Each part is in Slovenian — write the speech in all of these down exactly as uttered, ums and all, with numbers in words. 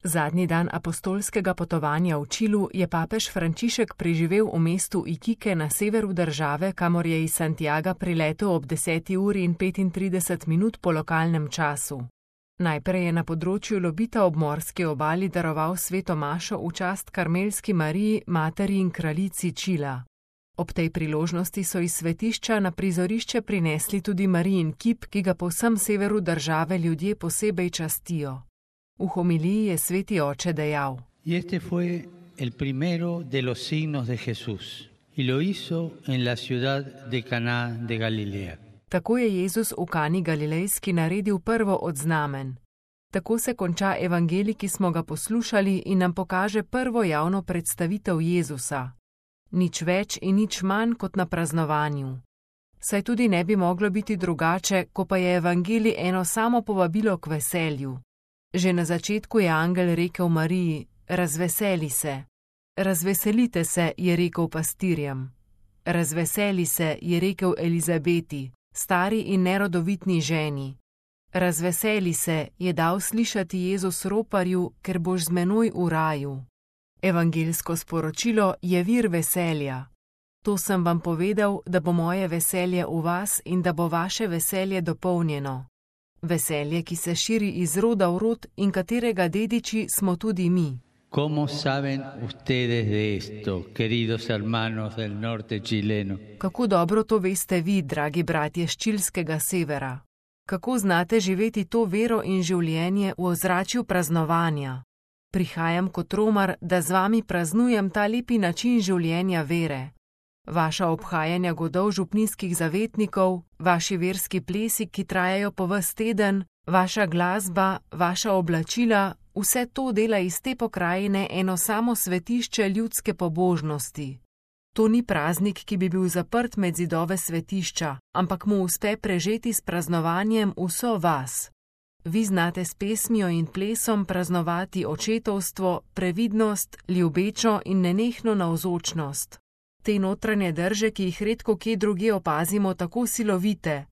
Zadnji dan apostolskega potovanja v Čilu je papež Frančišek preživel v mestu Iquique na severu države, kamor je iz Santiaga priletel ob deseti uri in petintrideset minut po lokalnem času. Najprej je na področju Lobita ob morski obali daroval sveto mašo v čast Karmelski Mariji, materi in kraljici Čila. Ob tej priložnosti so iz svetišča na prizorišče prinesli tudi Marijin kip, ki ga po vsem severu države ljudje posebej častijo. V homiliji je sveti oče dejal: Y este fue el primero de los signos de Jesús, y lo hizo en la ciudad de Caná de Galilea. Tako je Jezus v Kani Galilejski naredil prvo od znamen. Tako se konča evangelij, ki smo ga poslušali, in nam pokaže prvo javno predstavitev Jezusa. Nič več in nič manj kot na praznovanju. Saj tudi ne bi moglo biti drugače, ko pa je evangelij eno samo povabilo k veselju. Že na začetku je angel rekel Mariji: razveseli se. Razveselite se, je rekel pastirjem. Razveseli se, je rekel Elizabeti, stari in nerodovitni ženi. Razveseli se, je dal slišati Jezus roparju, ker boš z menoj v raju. Evangeljsko sporočilo je vir veselja. To sem vam povedal, da bo moje veselje v vas in da bo vaše veselje dopolnjeno. Veselje, ki se širi iz roda v rod in katerega dediči smo tudi mi. ¿Cómo saben ustedes de esto, queridos hermanos del norte chileno? Kako dobro to veste vi, dragi bratje z čilskega severa? Kako znate živeti to vero in življenje v ozračju praznovanja? Prihajam kot romar, da z vami praznujem ta lepi način življenja vere. Vaša obhajanja godov župnijskih zavetnikov, vaši verski plesi, ki trajajo po ves teden, vaša glasba, vaša oblačila, vse to dela iz te pokrajine eno samo svetišče ljudske pobožnosti. To ni praznik, ki bi bil zaprt med zidove svetišča, ampak mu uspe prežeti s praznovanjem vso vas. Vi znate s pesmijo in plesom praznovati očetovstvo, previdnost, ljubečo in nenehno navzočnost. Te notranje drže, ki jih redko kje drugje opazimo, tako silovite.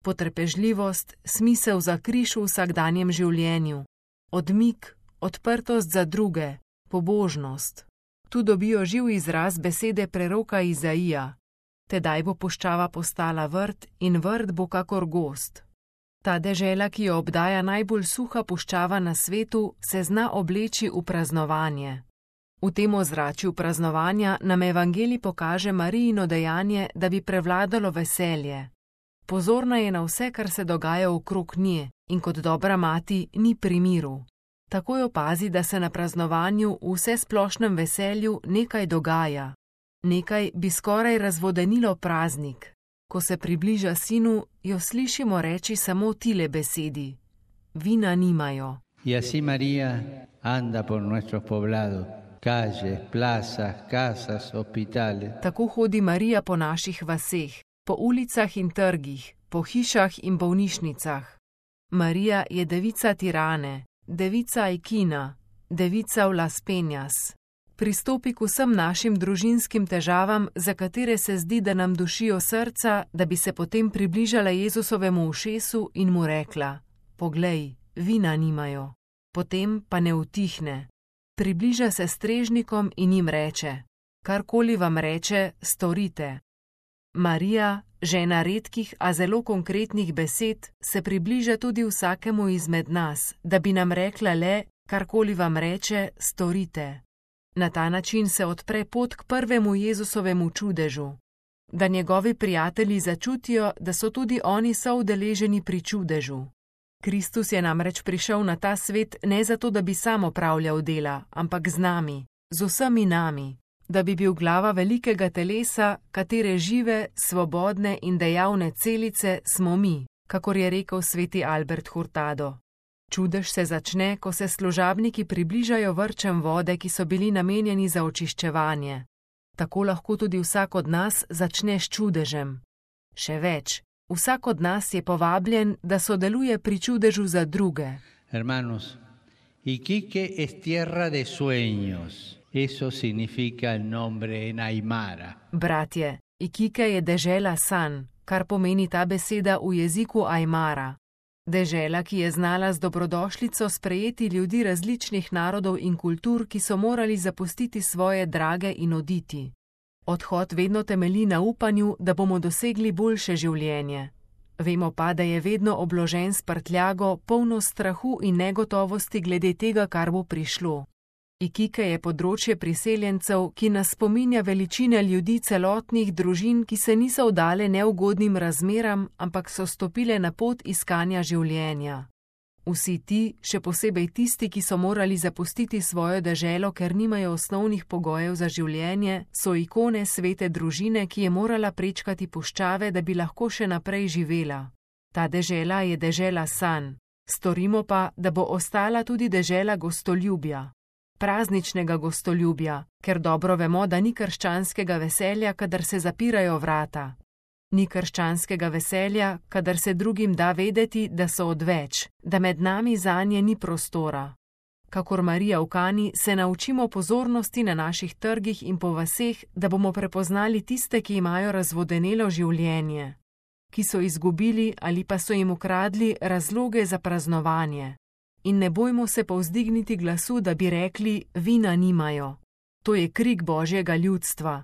Potrpežljivost, smisel za križ v vsakdanjem življenju. Odmik, odprtost za druge, pobožnost. Tu dobijo živ izraz besede preroka Izaija. Tedaj bo puščava postala vrt in vrt bo kakor gozd. Ta dežela, ki jo obdaja najbolj suha puščava na svetu, se zna obleči v praznovanje. V tem ozračju praznovanja nam evangelij pokaže Marijino dejanje, da bi prevladalo veselje. Pozorna je na vse, kar se dogaja okrog nje, in kot dobra mati ni pri miru. Takoj opazi, da se na praznovanju v vsesplošnem veselju nekaj dogaja. Nekaj bi skoraj razvodenilo praznik. Ko se približa sinu, jo slišimo reči samo tile besedi: vina nimajo. Y así María anda por nuestros poblados, calles, plazas, casas, hospitales. Tako hodi Marija po naših vaseh, po ulicah in trgih, po hišah in bolnišnicah. Marija je devica Tirane, devica Aikina, devica v Las Peñas. Pristopi k vsem našim družinskim težavam, za katere se zdi, da nam dušijo srca, da bi se potem približala Jezusovemu ušesu in mu rekla: poglej, vina nimajo. Potem pa ne utihne. Približa se strežnikom in jim reče: karkoli vam reče, storite. Marija, žena redkih, a zelo konkretnih besed, se približa tudi vsakemu izmed nas, da bi nam rekla le: karkoli vam reče, storite. Na ta način se odpre pot k prvemu Jezusovemu čudežu. Da njegovi prijatelji začutijo, da so tudi oni soudeleženi pri čudežu. Kristus je namreč prišel na ta svet ne zato, da bi sam opravljal dela, ampak z nami, z vsemi nami, da bi bil glava velikega telesa, katere žive, svobodne in dejavne celice smo mi, kakor je rekel sveti Albert Hurtado. Čudež se začne, ko se služabniki približajo vrčem vode, ki so bili namenjeni za očiščevanje. Tako lahko tudi vsak od nas začne s čudežem. Še več, vsak od nas je povabljen, da sodeluje pri čudežu za druge. Hermanos, Iquique es tierra de sueños. Eso significa el nombre en Aymara. Bratje, Iquique je dežela sanj, kar pomeni ta beseda v jeziku Aymara. Dežela, ki je znala z dobrodošlico sprejeti ljudi različnih narodov in kultur, ki so morali zapustiti svoje drage in oditi. Odhod vedno temelji na upanju, da bomo dosegli boljše življenje. Vemo pa, da je vedno obložen s prtljago, polno strahu in negotovosti glede tega, kar bo prišlo. Ikike je področje priseljencev, ki nas spominja veličine ljudi celotnih družin, ki se niso vdale neugodnim razmeram, ampak so stopile na pot iskanja življenja. Vsi ti, še posebej tisti, ki so morali zapustiti svojo deželo, ker nimajo osnovnih pogojev za življenje, so ikone svete družine, ki je morala prečkati puščave, da bi lahko še naprej živela. Ta dežela je dežela sanj. Storimo pa, da bo ostala tudi dežela gostoljubja. Prazničnega gostoljubja, ker dobro vemo, da ni krščanskega veselja, kadar se zapirajo vrata. Ni krščanskega veselja, kadar se drugim da vedeti, da so odveč, da med nami zanje ni prostora. Kakor Marija v Kani se naučimo pozornosti na naših trgih in po vaseh, da bomo prepoznali tiste, ki imajo razvodenelo življenje, ki so izgubili ali pa so jim ukradli razloge za praznovanje. In ne bojmo se povzdigniti glasu, da bi rekli, vina nimajo. To je krik Božjega ljudstva.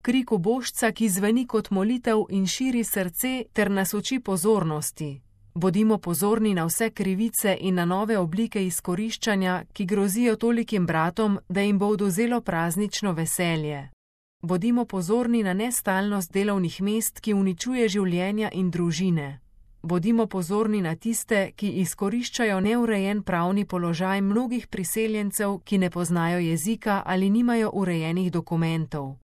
Krik ubožca, ki zveni kot molitev in širi srce ter nas uči pozornosti. Bodimo pozorni na vse krivice in na nove oblike izkoriščanja, ki grozijo tolikim bratom, da jim bo odvzelo praznično veselje. Bodimo pozorni na nestalnost delovnih mest, ki uničuje življenja in družine. Bodimo pozorni na tiste, ki izkoriščajo neurejen pravni položaj mnogih priseljencev, ki ne poznajo jezika ali nimajo urejenih dokumentov.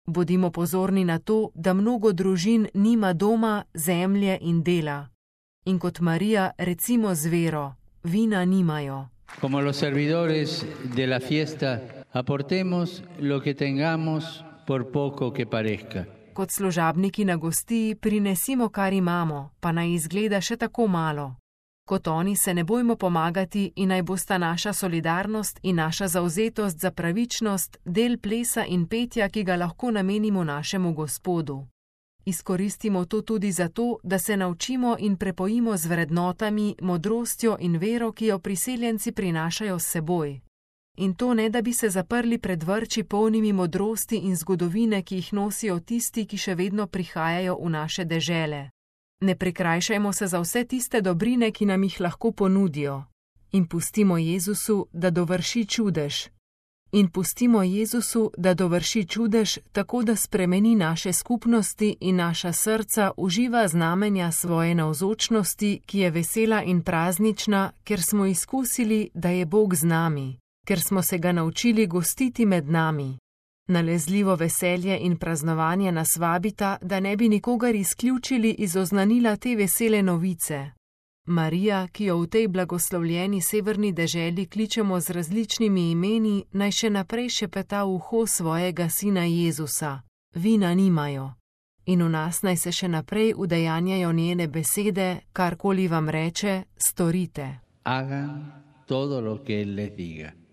Bodimo pozorni na to, da mnogo družin nima doma, zemlje in dela. In kot Marija recimo z vero, vina nimajo. Como los servidores de la fiesta, aportemos lo que tengamos por poco que parezca. Kot služabniki na gostiji prinesimo, kar imamo, pa naj izgleda še tako malo. Kot oni se ne bojmo pomagati in naj bosta naša solidarnost in naša zavzetost za pravičnost del plesa in petja, ki ga lahko namenimo našemu Gospodu. Izkoristimo to tudi zato, da se naučimo in prepojimo z vrednotami, modrostjo in vero, ki jo priseljenci prinašajo s seboj. In to ne, da bi se zaprli pred vrči polnimi modrosti in zgodovine, ki jih nosijo tisti, ki še vedno prihajajo v naše dežele. Ne prikrajšajmo se za vse tiste dobrine, ki nam jih lahko ponudijo. In pustimo Jezusu, da dovrši čudež. In pustimo Jezusu, da dovrši čudež, tako da spremeni naše skupnosti in naša srca uživa znamenja svoje navzočnosti, ki je vesela in praznična, ker smo izkusili, da je Bog z nami. Ker smo se ga naučili gostiti med nami. Nalezljivo veselje in praznovanje nas vabita, da ne bi nikogar izključili iz oznanila te vesele novice. Marija, ki jo v tej blagoslovljeni severni deželi kličemo z različnimi imeni, naj še naprej šepeta v uho svojega sina Jezusa. Vina nimajo. In v nas naj se še naprej udejanjajo njene besede, karkoli vam reče, storite. Hagan todo lo que él les diga.